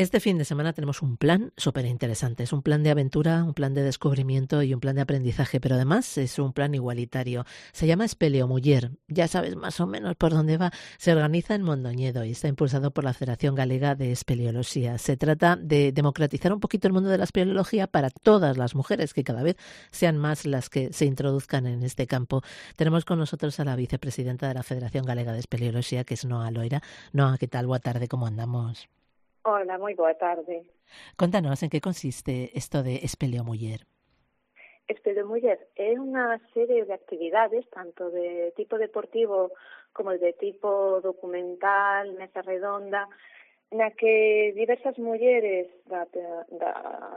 Este fin de semana tenemos un plan súper interesante. Es un plan de aventura, un plan de descubrimiento y un plan de aprendizaje, pero además es un plan igualitario. Se llama Espeleomuller. Ya sabes más o menos por dónde va. Se organiza en Mondoñedo y está impulsado por la Federación Galega de Espeleoloxía. Se trata de democratizar un poquito el mundo de la espeleología para todas las mujeres, que cada vez sean más las que se introduzcan en este campo. Tenemos con nosotros a la vicepresidenta de la Federación Galega de Espeleoloxía, que es Noa Loira. Noa, ¿qué tal? Boa tarde, ¿cómo andamos? Hola, moi boa tarde. Contanos en que consiste esto de Espeleomuller. Espeleomuller é unha serie de actividades, tanto de tipo deportivo como de tipo documental, mesa redonda, na que diversas mulleres da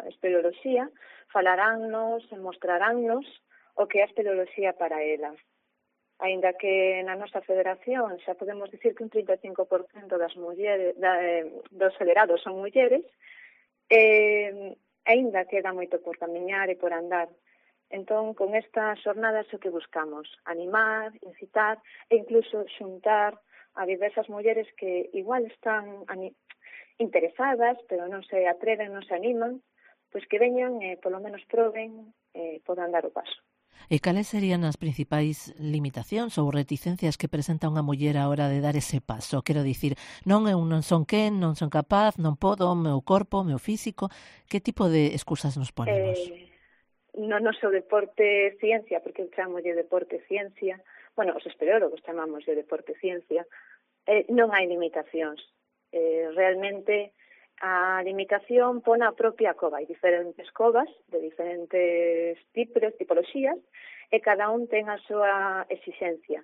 espeleoloxía falaránnos e mostraránnos o que é a espeleoloxía para elas. Aínda que na nosa federación xa podemos dicir que un 35% das mulleres, dos federados son mulleres, aínda queda moito por camiñar e por andar. Entón, con estas xornadas o que buscamos, animar, incitar e incluso xuntar a diversas mulleres que igual están interesadas, pero non se atreven, non se animan, pois que veñan e polo menos proben e podan dar o paso. E cales serían as principais limitacións ou reticencias que presenta unha muller á hora de dar ese paso? Quero dicir, non son quen, non son capaz, non podo, o meu corpo, o meu físico. Que tipo de excusas nos ponemos? No noso deporte ciencia, porque eu chamo de deporte ciencia, bueno, os espeleólogos chamamos de deporte ciencia, non hai limitacións. Realmente a limitación pon a propia cova. Hai diferentes covas de diferentes tipoloxías e cada un ten a súa exigencia.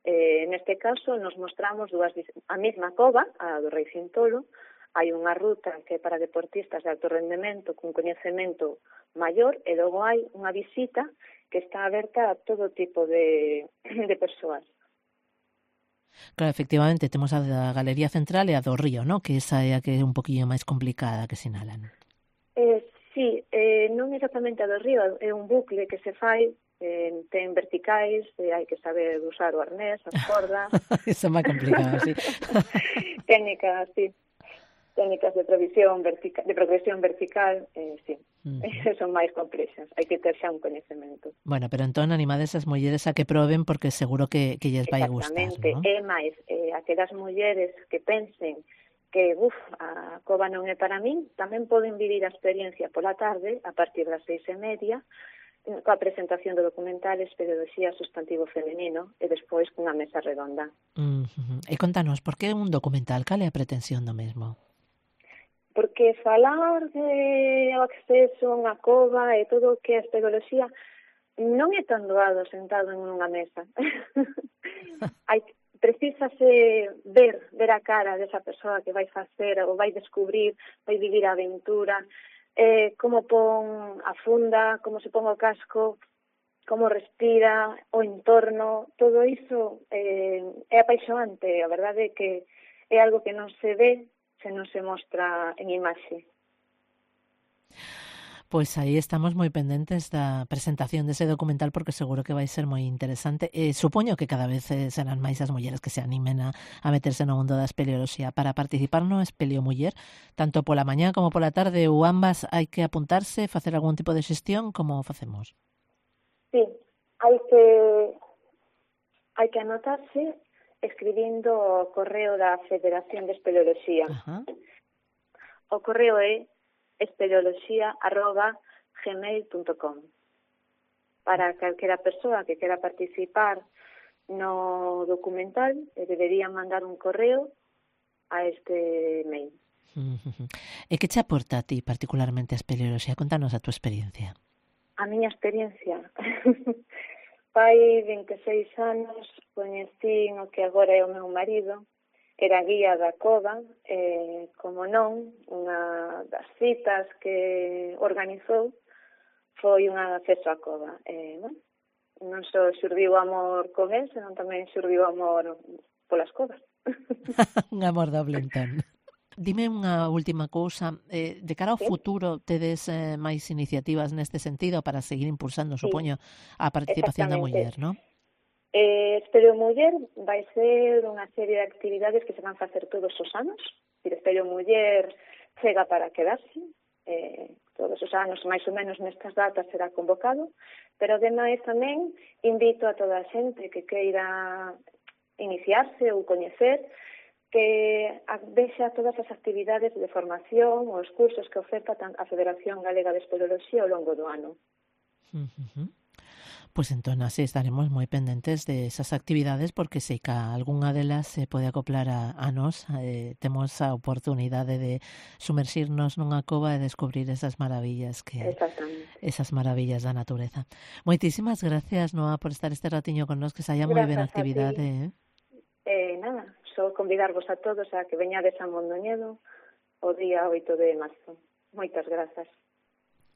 Neste caso, nos mostramos a mesma cova, a do Rei Cintolo. Hai unha ruta que é para deportistas de alto rendemento con coñecemento maior e logo hai unha visita que está aberta a todo tipo de persoas. Claro, efectivamente, temos a da Galería Central e a do Río, ¿no? Que esa é a que é un poquinho máis complicada que sinalan. Sí, non exactamente a do Río, é un bucle que se fai, ten verticais, hai que saber usar o arnés, as cordas. Eso é máis complicado, sí. Técnicas, sí. Técnicas de progresión vertical, sí. Son máis complexas, hai que ter xa un coñecemento. Bueno, pero entón animades as mulleres a que proben porque seguro que lles vai gustar, ¿no? Exactamente, é máis, aquelas mulleres que pensen que, a cova non é para min, tamén poden vivir a experiencia pola tarde, a partir das 6:30, coa presentación do documental Espeleoloxía Substantivo Femenino e despois cunha mesa redonda. E contanos, por que un documental? Cal é a pretensión do mesmo? Porque falar de acceso a unha cova e todo o que é a espeleoloxía non é tan doado sentado en unha mesa. Precisase ver a cara desa persoa que vai facer ou vai descubrir, vai vivir a aventura, como pon a funda, como se pon o casco, como respira, o entorno, todo iso é apaixonante. A verdade é que é algo que non se ve se non se mostra en imaxe. Pois aí estamos moi pendentes da presentación dese documental porque seguro que vai ser moi interesante. Supoño que cada vez serán máis as mulleres que se animen a meterse no mundo da espeleoloxía. Para participar no Espeleomuller, tanto pola mañá como pola tarde ou ambas, hai que apuntarse, facer algún tipo de xestión, como facemos? Sí, hai que anotarse escribindo o correo da Federación de Espeleoloxía. O correo é espeleoloxía@gmail.com. Para calquera persoa que quera participar no documental, debería mandar un correo a este mail. E que che aporta a ti particularmente a espeleoloxía? Contanos a túa experiencia. A miña experiencia... Fai 26 anos coñecín o que agora é o meu marido, era guía da cova, como non, unha das citas que organizou foi un acceso á cova. Non só xurdiu amor con él, senón tamén xurdiu amor polas covas. Un amor doble, entón. Dime unha última cousa, de cara ao futuro tedes máis iniciativas neste sentido para seguir impulsando, supoño, a participación da muller, non? Espeleomuller vai ser unha serie de actividades que se van facer todos os anos. Espeleomuller chega para quedarse, todos os anos, máis ou menos nestas datas será convocado, pero ademais tamén invito a toda a xente que queira iniciarse ou coñecer que vexa todas as actividades de formación ou os cursos que oferta a Federación Galega de Espeleoloxía ao longo do ano. Pues entón así estaremos moi pendentes de esas actividades porque sei que algunha delas se pode acoplar a nós, temos a oportunidade de sumerxirnos nunha cova e descubrir esas maravillas esas maravillas da natureza. Moitísimas gracias, Noa, por estar este ratiño con nós, que saia moi ben a actividade. Nada, só convidarvos a todos a que veñades a Mondoñedo o día 8 de marzo. Moitas grazas.